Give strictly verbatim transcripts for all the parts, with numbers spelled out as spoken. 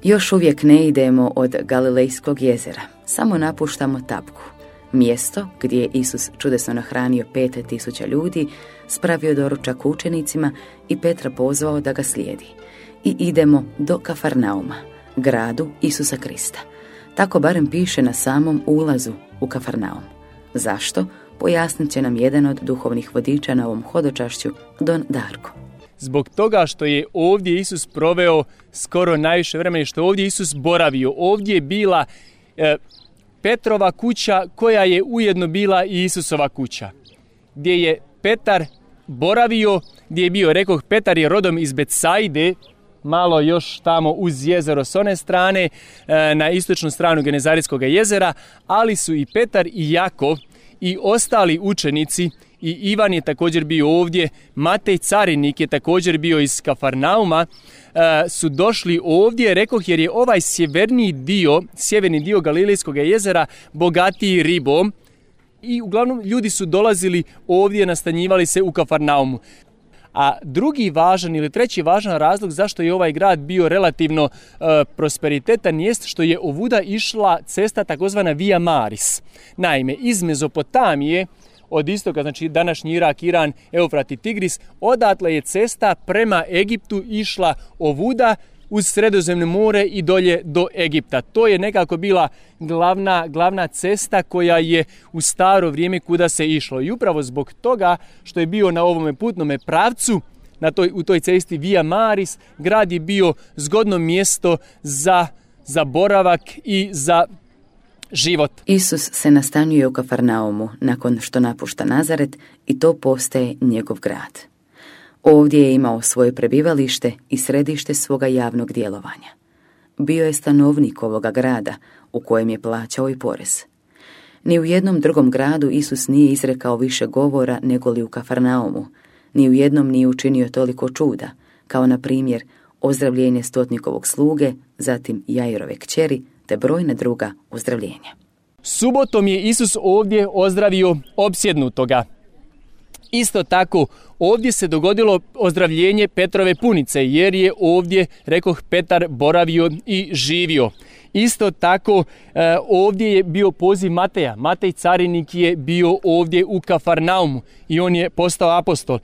Još uvijek ne idemo od Galilejskog jezera, samo napuštamo Tabgu, mjesto gdje je Isus čudesno nahranio pet tisuća ljudi, spravio doručak učenicima i Petra pozvao da ga slijedi. I idemo do Kafarnauma, gradu Isusa Krista. Tako barem piše na samom ulazu u Kafarnaum. Zašto? Pojasnit će nam jedan od duhovnih vodiča na ovom hodočašću, Don Darko. Zbog toga što je ovdje Isus proveo skoro najviše vremena, što je ovdje Isus boravio. Ovdje je bila e, Petrova kuća koja je ujedno bila i Isusova kuća. Gdje je Petar boravio, gdje je bio, rekoh, Petar je rodom iz Betsaide, malo još tamo uz jezero s one strane, e, na istočnu stranu Genezarijskog jezera, ali su i Petar i Jakov i ostali učenici, i Ivan je također bio ovdje, Matej carinik je također bio iz Kafarnauma, e, su došli ovdje, rekoh, jer je ovaj sjeverni dio, sjeverni dio Galilejskog jezera bogatiji ribom i uglavnom ljudi su dolazili ovdje, nastanjivali se u Kafarnaumu. A drugi važan ili treći važan razlog zašto je ovaj grad bio relativno e, prosperitetan jest što je ovuda išla cesta takozvana Via Maris. Naime, iz Mezopotamije, od istoka, znači današnji Irak, Iran, Eufrat i Tigris, odatle je cesta prema Egiptu išla ovuda uz Sredozemno more i dolje do Egipta. To je nekako bila glavna, glavna cesta koja je u staro vrijeme kuda se išlo. I upravo zbog toga što je bio na ovome putnome pravcu, na toj, u toj cesti Via Maris, grad je bio zgodno mjesto za, za boravak i za život. Isus se nastanjuje u Kafarnaumu nakon što napušta Nazaret i to postaje njegov grad. Ovdje je imao svoje prebivalište i središte svoga javnog djelovanja. Bio je stanovnik ovoga grada u kojem je plaćao i porez. Ni u jednom drugom gradu Isus nije izrekao više govora nego li u Kafarnaumu. Ni u jednom nije učinio toliko čuda, kao na primjer ozdravljenje stotnikovog sluge, zatim Jairove kćeri, te brojna druga ozdravljenja. Subotom je Isus ovdje ozdravio opsjednutoga. Isto tako, ovdje se dogodilo ozdravljenje Petrove punice, jer je ovdje, rekoh, Petar boravio i živio. Isto tako, ovdje je bio poziv Mateja. Matej carinik je bio ovdje u Kafarnaumu i on je postao apostol.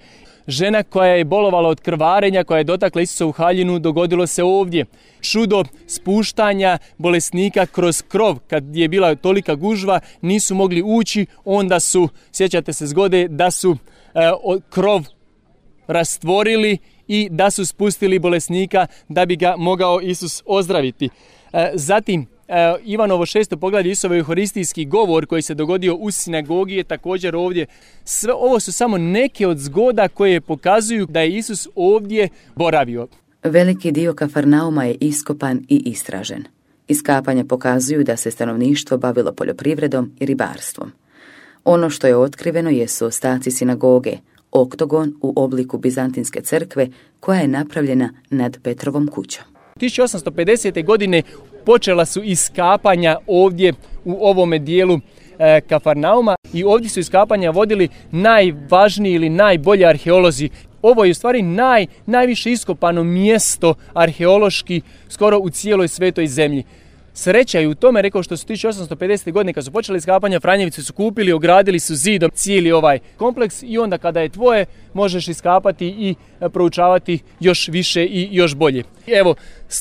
Žena koja je bolovala od krvarenja, koja je dotakla Isusovu haljinu, dogodilo se ovdje. Čudo spuštanja bolesnika kroz krov, kad je bila tolika gužva, nisu mogli ući, onda su, sjećate se zgode, da su e, krov rastvorili i da su spustili bolesnika da bi ga mogao Isus ozdraviti. E, zatim, E, Ivanovo šesto poglavlje, Isusov euharistijski govor koji se dogodio u sinagogi je također ovdje. Sve ovo su samo neke od zgoda koje pokazuju da je Isus ovdje boravio. Veliki dio Kafarnauma je iskopan i istražen. Iskapanja pokazuju da se stanovništvo bavilo poljoprivredom i ribarstvom. Ono što je otkriveno jesu ostaci sinagoge, oktogon u obliku bizantinske crkve koja je napravljena nad Petrovom kućom. tisuću osamsto pedesete. godine počela su iskapanja ovdje u ovome dijelu e, Kafarnauma i ovdje su iskapanja vodili najvažniji ili najbolji arheolozi. Ovo je u stvari naj, najviše iskopano mjesto arheološki skoro u cijeloj svetoj zemlji. Sreća je u tome, rekao, što su tisuću osamsto pedesete. godine kad su počeli iskapanja, Franjevici su kupili, ogradili su zidom cijeli ovaj kompleks i onda kada je tvoje možeš iskapati i proučavati još više i još bolje. Evo,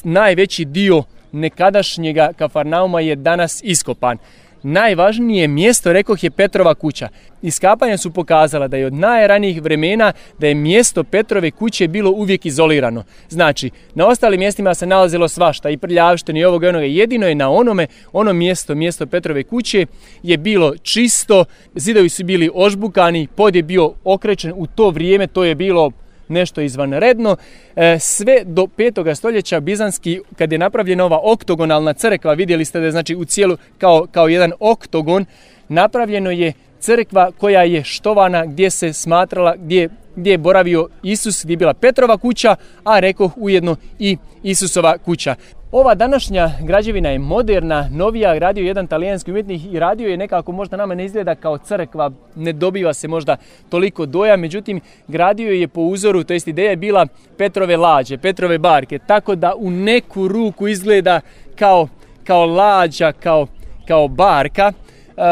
najveći dio nekadašnjega Kafarnauma je danas iskopan. Najvažnije mjesto, rekoh, je Petrova kuća. Iskapanja su pokazala da je od najranijih vremena da je mjesto Petrove kuće bilo uvijek izolirano. Znači, na ostalim mjestima se nalazilo svašta, i prljavštine i ovoga i onoga. Jedino je na onome, ono mjesto, mjesto Petrove kuće je bilo čisto, zidovi su bili ožbukani, pod je bio okrečen. U to vrijeme to je bilo nešto izvanredno. E, sve do petoga stoljeća bizanski, kad je napravljena ova oktogonalna crkva, vidjeli ste da je znači u cijelu kao, kao jedan oktogon, napravljeno je crkva koja je štovana, gdje se smatrala, gdje, gdje je boravio Isus, gdje je bila Petrova kuća, a rekoh ujedno i Isusova kuća. Ova današnja građevina je moderna, novija, radio jedan talijanski umjetnik i radio je nekako, možda nama ne izgleda kao crkva, ne dobiva se možda toliko dojam, međutim gradio je po uzoru, to jest ideja je bila Petrove lađe, Petrove barke, tako da u neku ruku izgleda kao, kao lađa, kao, kao barka, uh,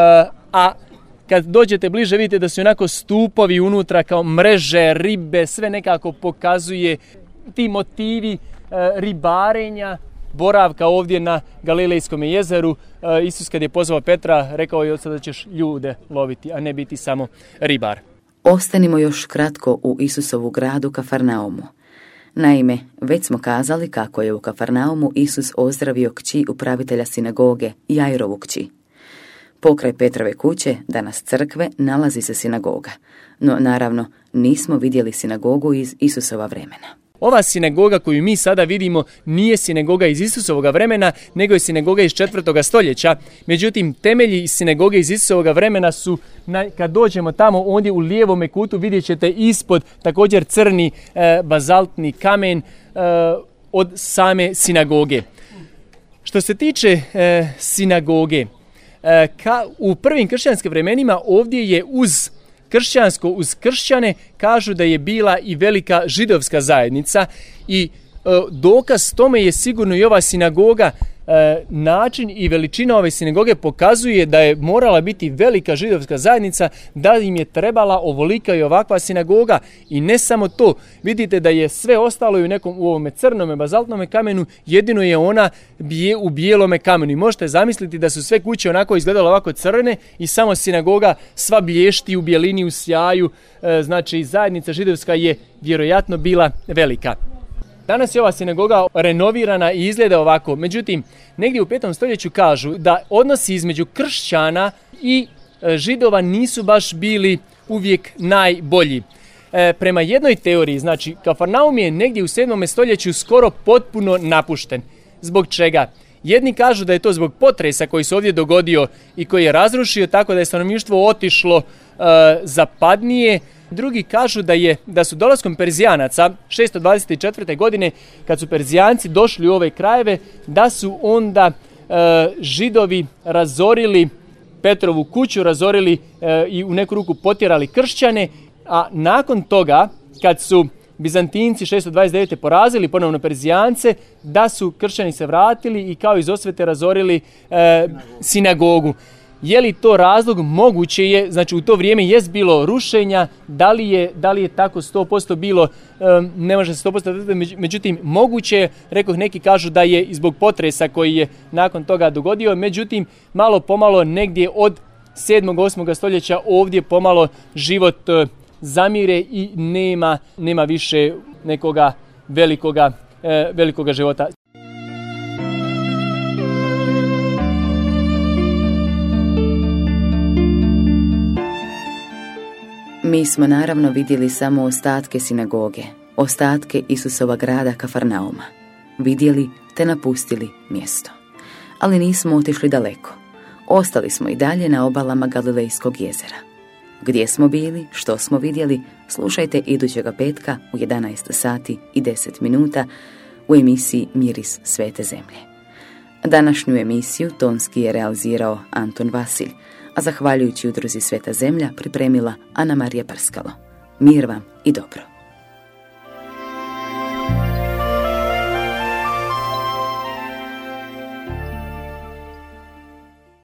a kad dođete bliže vidite da su onako stupovi unutra kao mreže, ribe, sve nekako pokazuje ti motivi uh, ribarenja, boravka ovdje na Galilejskom jezeru. Isus kad je pozvao Petra, rekao je od sada ćeš ljude loviti, a ne biti samo ribar. Ostanimo još kratko u Isusovu gradu Kafarnaumu. Naime, već smo kazali kako je u Kafarnaumu Isus ozdravio kći upravitelja sinagoge, Jairovu kći. Pokraj Petrove kuće, danas crkve, nalazi se sinagoga. No, naravno, nismo vidjeli sinagogu iz Isusova vremena. Ova sinagoga koju mi sada vidimo nije sinagoga iz Isusovoga vremena, nego je sinagoga iz četvrtoga stoljeća. Međutim, temelji sinagoge iz Isusovoga vremena su, na, kad dođemo tamo, ondje u lijevome kutu vidjet ćete ispod također crni e, bazaltni kamen e, od same sinagoge. Što se tiče e, sinagoge, e, ka, u prvim kršćanskim vremenima ovdje je uz kršćansko, uz kršćane kažu da je bila i velika židovska zajednica i e, dokaz tome je sigurno i ova sinagoga. E, način i veličina ove sinagoge pokazuje da je morala biti velika židovska zajednica, da im je trebala ovolika i ovakva sinagoga. I ne samo to, vidite da je sve ostalo u nekom u ovome crnome bazaltnome kamenu, jedino je ona bije u bijelome kamenu. I možete zamisliti da su sve kuće onako izgledale ovako crne i samo sinagoga sva blješti u bijelini, u sjaju. E, znači zajednica židovska je vjerojatno bila velika. Danas je ova sinagoga renovirana i izgleda ovako. Međutim, negdje u petom stoljeću kažu da odnosi između kršćana i židova nisu baš bili uvijek najbolji. E, prema jednoj teoriji, znači, Kafarnaum je negdje u sedmom stoljeću skoro potpuno napušten. Zbog čega? Jedni kažu da je to zbog potresa koji se ovdje dogodio i koji je razrušio tako da je stanovništvo otišlo e, zapadnije. Drugi kažu da je da su dolaskom Perzijanaca šesto dvadeset četvrte. godine, kad su Perzijanci došli u ove krajeve, da su onda e, Židovi razorili Petrovu kuću, razorili e, i u neku ruku potjerali kršćane, a nakon toga, kad su Bizantinci šesto dvadeset devete. porazili ponovno Perzijance, da su kršćani se vratili i kao iz osvete razorili e, sinagogu. Je li to razlog? Moguće je, znači u to vrijeme jest bilo rušenja, da li je, da li je tako sto posto bilo, um, ne može se sto posto, međutim moguće je, rekoh, neki kažu da je i zbog potresa koji je nakon toga dogodio, međutim malo pomalo negdje od sedmog osmog stoljeća ovdje pomalo život uh, zamire i nema, nema više nekoga velikoga, uh, velikoga života. Mi smo naravno vidjeli samo ostatke sinagoge, ostatke Isusova grada Kafarnauma. Vidjeli te napustili mjesto. Ali nismo otišli daleko. Ostali smo i dalje na obalama Galilejskog jezera. Gdje smo bili, što smo vidjeli, slušajte idućega petka u jedanaest sati i deset minuta u emisiji Miris svete zemlje. Današnju emisiju tonski je realizirao Anton Vasilj, a zahvaljujući udruzi Sveta zemlja pripremila Ana Marija Prskalo. Mir vam i dobro.